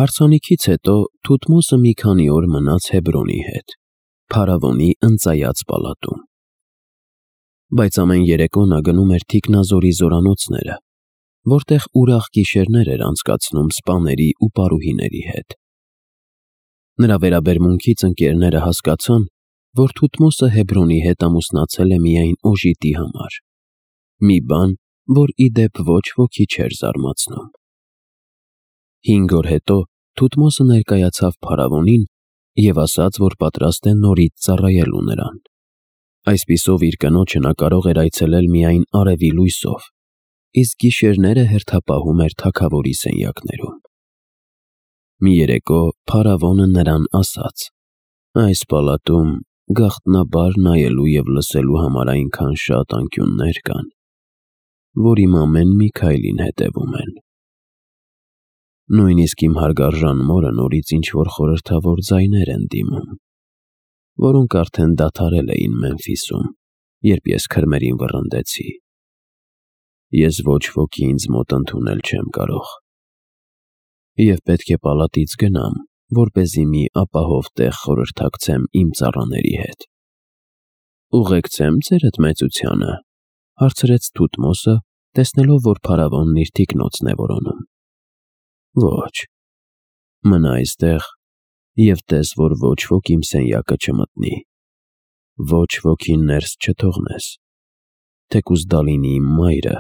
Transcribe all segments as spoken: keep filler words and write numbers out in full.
Հարսանիքից հետո Թութմոսը մի քանի օր մնաց Հեբրոնի հետ, փարավոնի ընծայած պալատում։ Բայց ամեն երեկո նա գնում էր Թիկնազորի զորանոցները, որտեղ ուրախ գիշերներ էր անցկացնում սպաների ու պարուհիների հետ։ Նրա վերաբերմունքից ընկերները հասկացան, որ Թութմոսը Հեբրոնի հետ ամուսնացել է միայն օժիտի համար, մի բան, որ ի դեպ ոչ ոքի չէր զարմացնում։ Հինգ օր հետո Թութմոսը ներկայացավ փարավոնին և ասաց, որ պատրաստ է նորից ծառայելու նրան։ Այսպիսով իր կնոջը նա կարող էր այցելել միայն արևի լույսով, իսկ գիշերները հերթապահում էր թագավորի սենյակներում։ Մի երեկո փարավոնը նրան ասաց. «Այս պալատում գաղտնաբար նայելու և լսելու համար այնքան շատ անկյուններ կան, որ իմ ամեն մի քայլին հետևում են։ Նույնիսկ իմ հարգարժան մորը նորից ինչ-որ խորհրդավոր ձայներ են դիմում, որոնք արդեն դադարել էին Մեմֆիսում, երբ ես քրմերին վռնդեցի։ Ես ոչ ոքի ինձ մոտ ընդունել չեմ կարող և պետք է պալատից գնամ, որպեսզի մի ապահով տեղ խորհրդակցեմ իմ ծառաների հետ»։ «Ուղեկցե՞մ ձերդ մեծությանը», հարցրեց Թութմոսը, տեսնելով, որ փարավոնն իր թիկնոցն է որոնում։ «Ոչ, մնա այստեղ և տես, որ ոչ ոք իմ սենյակը չմտնի, ոչ ոքին ներս չթողնես, թեկուզ դա լինի իմ մայրը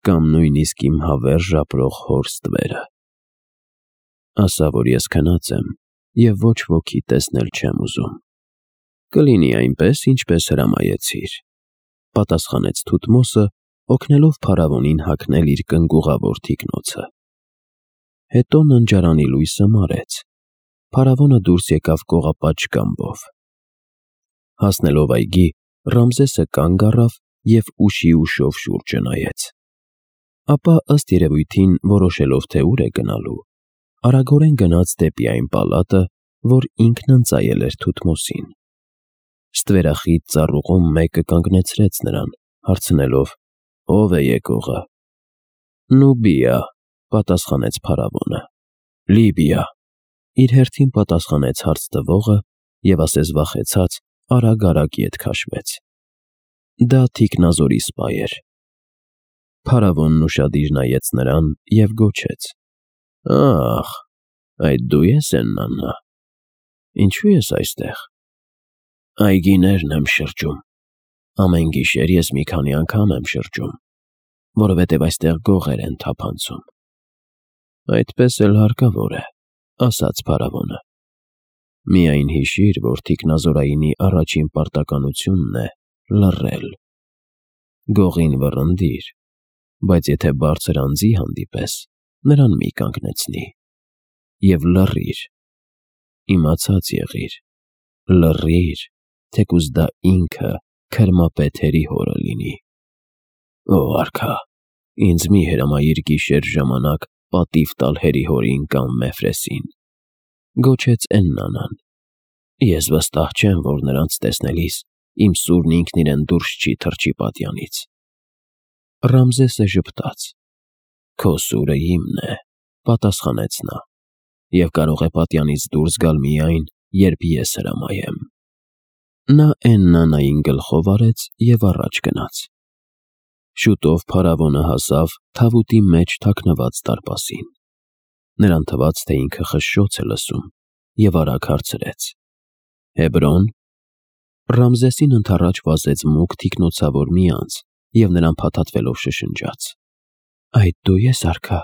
կամ նույնիսկ իմ հավերժ ապրող հոր ստվերը։ Ասա, որ ես քնած եմ և ոչ ոքի տեսնել չեմ ուզում»։ «Կլինի այնպես, ինչպես հրամայեցիր», պատասխանեց Թութմոսը, օգնելով փարավոնին հագնել իր կնգուղավոր թիկնոցը։ Հետո ննջարանի լույսը մարեց, փարավոնը դուրս եկավ կողապատ շկամբով։ Հասնելով այգի, Ռամզեսը կանգ առավ և ուշի ուշով շուրջը նայեց։ Ապա, ըստ երևույթին որոշելով, թե ուր է գնալու, արագորեն գնաց դեպի այն պալատը, որ ինքն ընծայել էր Թութմոսին։ Ստվերախիտ ծառուղում մեկը կանգնեցրեց նրան, հարցնելով. «Ո՞վ է եկողը»։ «Նուբիա», պատասխանեց փարավոնը։ «Լիբիա», իր հերթին պատասխանեց հարց տվողը և ասես վախեցած արագ-արագ ետ քաշվեց։ Դա Թիկնազորի սպա էր։ Փարավոնն ուշադիր նայեց նրան և գոչեց. «Ահ, այդ դու ես Էննանա, ինչո՞ւ ես այստեղ»։ «Այգիներն եմ շրջում, ամեն գիշեր ես մի քանի անգամ եմ շրջում, որովհետև այստեղ գողեր են թափանցում»։ «Այդպես էլ հարկավոր է», ասաց փարավոնը։ «Միայն հիշիր, որ թիկնազորայինի առաջին պարտականությունն է լռել։ Գողին վռնդիր, բայց եթե բարձր անձի հանդիպես, նրան մի կանգնեցնի։ Եվ լռիր, իմացած եղիր, լռիր, թեկուզ դա ինքը քրմապետերի հորը լինի»։ «Ո արքա, ինձ մի հրամայիր գիշեր ժամանակ պատիվ տալ հերի-հորին կամ Մեֆրեսին», գոչեց Էննանան։ «Ես վստահ չեմ, որ նրանց տեսնելիս իմ սուրն ինքն իրեն դուրս չի թռչի պատյանից»։ Ռամզեսը ժպտաց։ «Քո սուրը իմն է», պատասխանեց նա, «և կարող է պատյանից դուրս գալ միայն, երբ ես հրամայեմ»։ Նա Էննանային գլխով արեց և առաջ գնաց։ Շուտով փարավոնը հասավ թավուտի մեջ թաքնված դարպասին։ Նրան թվաց, թե ինքը խշշոց է լսում, և արագ հարցրեց. «Հեբրո՞ն»։ Ռամզեսին ընդառաջ վազեց մուգ թիկնոցավոր մի անձ և նրան փաթաթվելով շշնջաց. «Այդ դու ես, արքա,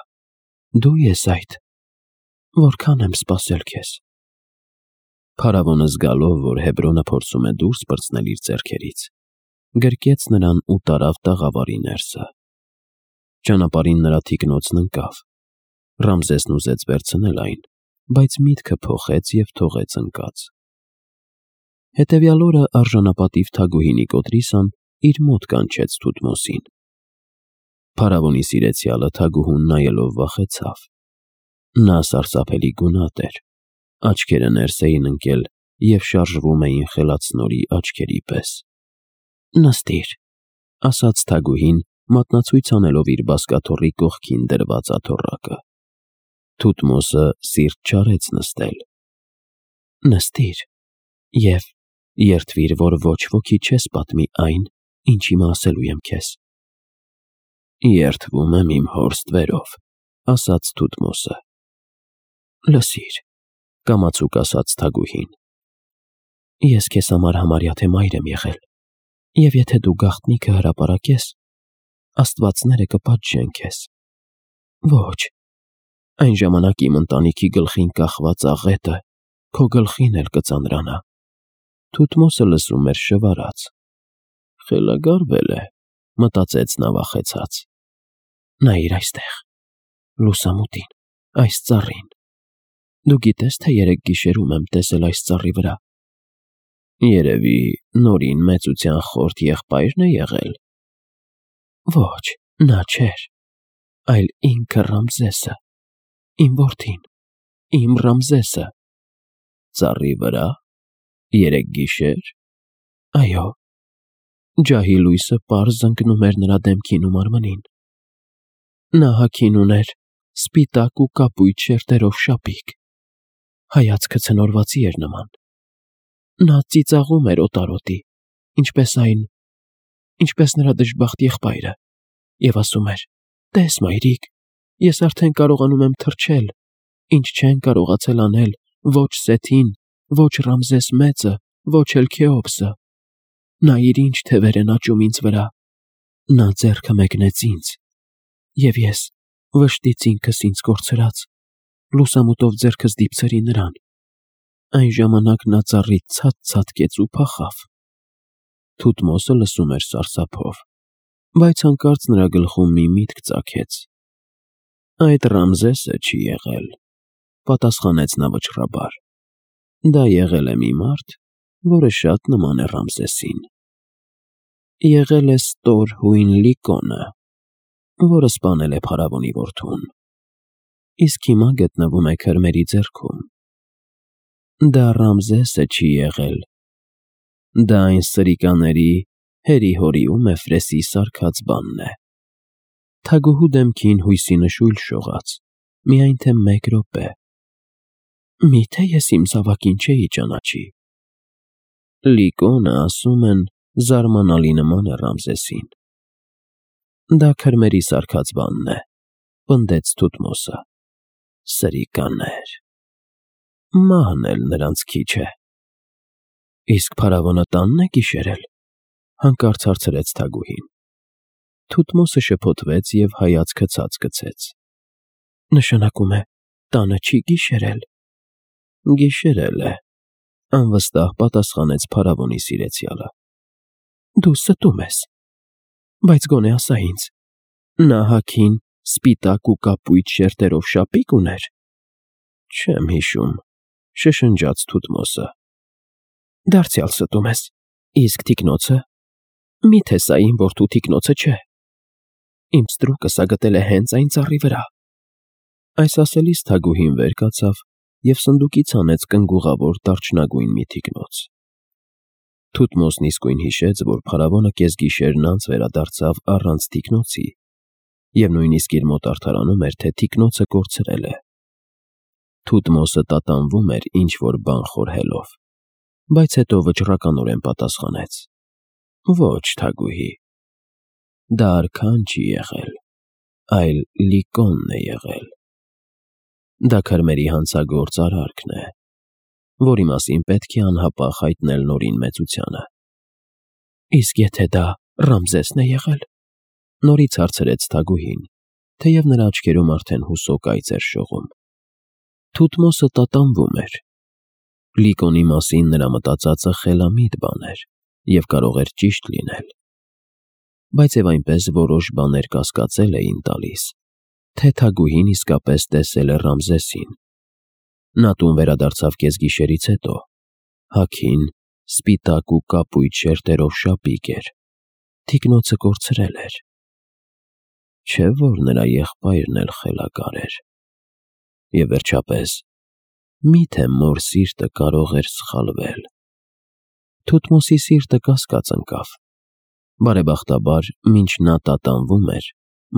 դու ես այդ, որքան եմ սպասել քեզ»։ Փարավոնը զգալով, որ Հեբրոնը փորձում է դուրս պրծնել իր ձեռքերից, գրկեց նրան ու տարավ տաղավարի ներսը։ Ճանապարհին նրա թիկնոցն ընկավ։ Ռամզեսն ուզեց վերցնել այն, բայց միտքը փոխեց և թողեց ընկած։ Հետևյալ օրը արժանապատիվ թագուհի Նիկոտրիսան իր մոտ կանչեց Թութմոսին։ Փարավոնի սիրեցյալը թագուհուն նայելով վախեցավ։ Նա սարսափելի գունատ էր, աչքերը ներս էին ընկել և շարժվում էին խելացնորի աչքերի պես։ «Նստիր», ասաց թագուհին, մատնացույց անելով իր բազկաթոռի կողքին դրված աթոռակը։ Թութմոսը սիրտ չարեց նստել։ Նստիր և երդվիր, որ ոչ ոքի չես պատմի այն, ինչ հիմա ասելու եմ քեզ։ Երդվում եմ իմ հոր ստվերով, ասաց Թութմոսը։ Լսիր, կամացուկ ասաց Թագուհին։ Ես քեզ համար համարյա թե մայր եմ եղել, և եթե դու գաղտնիքը հրապարակես, աստվածները կպատժեն քեզ։ Ոչ, այն ժամանակ իմ ընտանիքի գլխին կախված աղետը քո գլխին էլ կծանրանա։ Թութմոսը լսում էր շվարած։ Խելագարվել է, մտածեց նա վախեցած։ Նայիր այստեղ, լուսամուտին, այս ծառին։ Դու գիտես, թե երեկ գիշերում եմ տեսել այս ծառի վրա։ Երևի Նորին մեծության խորթ եղբայրն է եղել։ Ոչ, նա չէր, այլ ինքը Ռամզեսը, իմ որդին, իմ Ռամզեսը։ Ծառի վրա, երեկ գիշեր։ Այո, ջահի լույսը պարզ ընկնում էր նրա դեմքին ու մարմնին։ Նա հագին ուներ սպիտակ ու կապույտ շերտերով շապիկ, հայացքը ցնորվածի էր նման։ Նա ծիծաղում էր օտարոտի, ինչպես այն, ինչպես նրա դժբախտ եղբայրը, և ասում էր. «Տես, մայրիկ, ես արդեն կարողանում եմ թռչել, ինչ չեն կարողացել անել ոչ Սեթին, ոչ Ռամզես մեծը, ոչ էլ Քեոպսը։ Նայիր ինչ թևեր են աճում ինձ վրա»։ Նա ձեռքը մեկնեց ինձ, և ես, վշտից ինքս ինձ կորցրած, լուսամուտով ձեռքս դիպցրի նրան։ Այն ժամանակ նա ծառից ցած ցատկեց ու փախավ։ Թութմոսը լսում էր սարսափով, բայց հանկարծ նրա գլխում մի միտք ծագեց։ Այդ Ռամզեսը չի եղել, պատասխանեց նա վճռաբար։ Դա եղել է մի մարդ, որը շատ նման է Ռամզեսին։ Եղել է ստոր հույն Լիկոնը, որը սպանել է փարավոնի որդուն, իսկ հիմա գտնվում է քրմերի ձեռքում։ Դա Ռամզեսը չի եղել, դա այն սրիկաների Հերի-Հորի ու Մեֆրեսի սարքած բանն է։ Թագուհու դեմքին հույսի նշույլ շողաց, միայն թե մեկ րոպե։ Միթե ես իմ զավակին չէի ճանաչի։ Լիկոնը, ասում են, զարմանալի նման է Ռամզեսին։ Դա քրմերի սարքած բանն է, պնդեց Թութմոսը։ Սրիկաներ։ Մահն էլ նրանց քիչ է։ Իսկ փարավոնը տանն է գիշերել, հանկարծ հարցրեց Թագուհին։ Թութմոսը շփոթվեց և հայացքը ցած գցեց։ Նշանակում է, տանը չի գիշերել։ Գիշերել է, անվստահ պատասխանեց փարավոնի սիրեցյալը։ Դու ստում ես, բայց գոնե ասա ինձ, նա հագին սպիտակ ու կապույտ շերտերով շապիկ ուներ։ Չեմ հիշում, շշնջաց Թութմոսը։ Դարձյալ ստում ես, իսկ թիկնոցը։ Միթե սա իմ որդու թիկնոցը չէ։ Իմ ստրուկը սա գտել է հենց այն ծառի վրա։ Այս ասելիս Թագուհին վեր կացավ և սնդուկից հանեց կնգուղավոր դարչնագույն մի թիկնոց։ Թութմոսն իսկույն հիշեց, որ փարավոնը կեսգիշերն անց վերադարձավ առանց թիկնոցի, և նույնիսկ իր մոտ արդարանում էր, թե թիկնոցը կորցրել է։ Թութմոսը տատանվում էր ինչ-որ բան խորհելով, բայց հետո վճռականորեն պատասխանեց. Ոչ, Թագուհի, դա արքան չի եղել, այլ Լիկոնն է եղել։ Դա քրմերի հանցագործ արարքն է, որի մասին պետք է անհապաղ հայտնել Նորին մեծությանը։ Իսկ եթե դա Ռամզեսն է եղել, նորից հարցրեց Թագուհին, թեև նրա աչքերում արդեն հուսոկ այծ էր շողում։ Թութմոսը տատանվում էր։ Լիկոնի մասին նրա մտածածը խելամիտ բան էր և կարող էր ճիշտ լինել։ Բայց և այնպես որոշ բաներ կասկածել էին տալիս, թե Թագուհին իսկապես տեսել է Ռամզեսին։ Նա տուն վերադարձավ կեսգիշերից հետո, հագին սպիտակ ու կապույտ շերտերով շապիկ էր, թիկնոցը կորցրել էր։ Չէ՞ որ նրա եղբայրն էլ խելագար էր։ Եվ վերջապես, միթե մոր սիրտը կարող էր սխալվել։ Թութմոսի սիրտը կասկած ընկավ։ Բարեբախտաբար, մինչ նա տատանվում էր,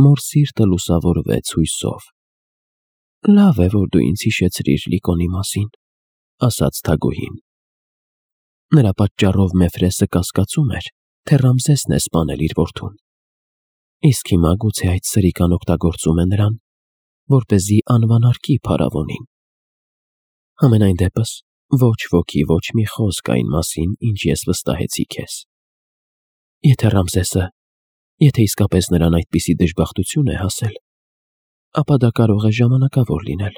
մոր սիրտը լուսավորվեց հույսով։ Լավ է, որ դու ինձ հիշեցրիր Լիկոնի մասին, ասաց Թագուհին։ Նրա պատճառով Մեֆրեսը կասկածում էր, թե Ռամզեսն է սպանել իր որդուն։ Իսկ հիմա գուցե այդ սրիկան օգտագործում է նրան, որպեսզի անվանարկի փարավոնին։ Համենայն դեպս, ոչ ոքի ոչ մի խոսք այն մասին, ինչ ես վստահեցի քեզ։ Եթե Ռամզեսը, եթե իսկապես նրան այդպիսի դժբախտություն է հասել, ապա դա կարող է ժամանակավոր լինել։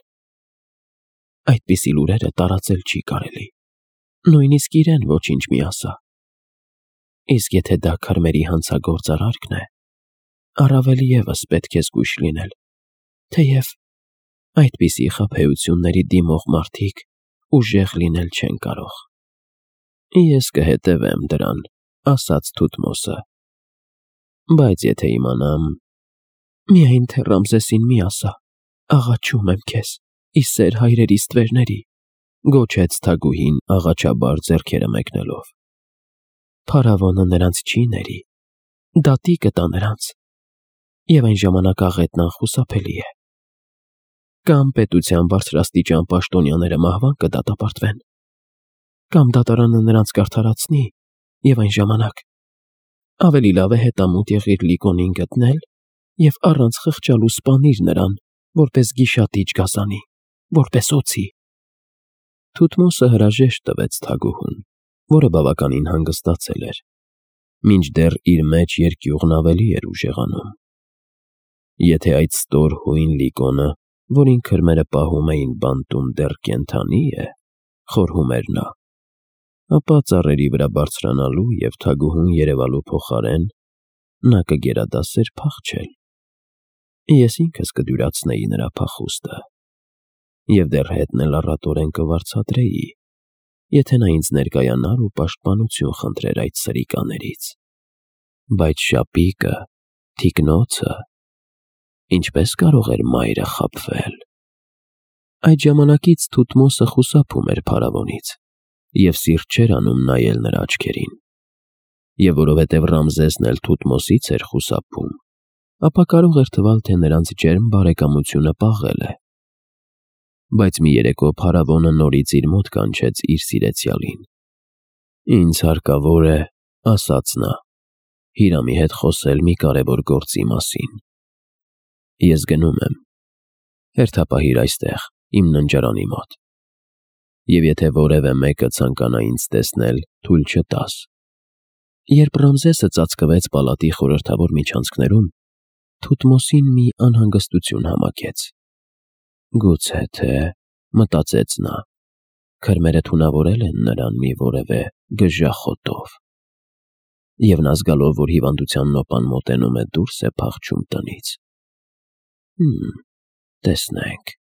Այդպիսի լուրերը տարածել չի կարելի, նույնիսկ իրեն ոչինչ մի ասա։ Իսկ եթե դա քրմերի հանցագործ արարքն է, առավել ևս պետք է զգույշ լինել, թեև այդպիսի խաբեությունների դիմող մարդիկ ուժեղ լինել չեն կարող։ Ես կհետևեմ դրան, ասաց Թութմոսը։ Բայց եթե իմանամ… Միայն թե Ռամզեսին մի ասա, աղաչում եմ քեզ, ի սեր հայրերի ստվերների, գոչեց Թագուհին աղաչաբար ձեռքերը մեկնելով։ Փարավոնը նրանց չի ների, դատի կտա նրանց, և այն ժամանակ աղետն անխուսափելի է։ Կամ պետության բարձրաստիճան պաշտոնյաները մահվան կդատապարտվեն, կամ դատարանը նրանց կարդարացնի, և այն ժամանակ ավելի լավ է հետամուտ եղիր Լիկոնին գտնել և առանց խղճալու սպանիր նրան, որպես գիշատիչ գազանի, որպես օձի։ Թութմոսը հրաժեշտ տվեց Թագուհուն, որը բավականին հանգստացել էր, մինչդեռ իր մեջ երկյուղն ավելի էր ուժեղանում։ Եթե այդ ստոր հույն Լիկոնը, որին քրմերը պահում էին բանտում, դեռ կենդանի է, խորհում էր նա, ապա ծառերի վրա բարձրանալու և Թագուհուն երևալու փոխարեն նա կգերադասեր փախչել։ Ես ինքս կդյուրացնեի նրա փախուստը և դեռ հետն էլ առատորեն կվարձատրեի, եթե նա ինձ ներկայանար ու պաշտպանություն խնդրեր այդ սրիկաներից։ Բայց շապիկը, թիկնոցը… Ինչպե՞ս կարող էր մայրը խաբվել։ Այդ ժամանակից Թութմոսը խուսափում էր փարավոնից և սիրտ չէր անում նայել նրա աչքերին։ Եվ որովհետև Ռամզեսն էլ Թութմոսից էր խուսափում, ապա կարող էր թվալ, թե նրանց ջերմ բարեկամությունը պաղել է։ Բայց մի երեկո փարավոնը նորից իր մոտ կանչեց իր սիրեցյալին։ Ինձ հարկավոր է, ասաց նա, Հիրամի հետ խոսել մի կարևոր գործի մասին։ Ես գնում եմ, հերթապահիր այստեղ, իմ ննջարանի մոտ, և եթե որևէ մեկը ցանկանա ինձ տեսնել, թույլ չտաս։ Երբ Ռամզեսը ծածկվեց պալատի խորհրդավոր միջանցքներում, Թութմոսին մի անհանգստություն համակեց։ Գուցե թե, մտածեց նա, քրմերը թունավորել են նրան մի որևէ գժախոտով, և նա զգալով, որ հիվանդության նոպան մոտենում է, դուրս է փախչում տնից։ Հըմ, տեսնենք։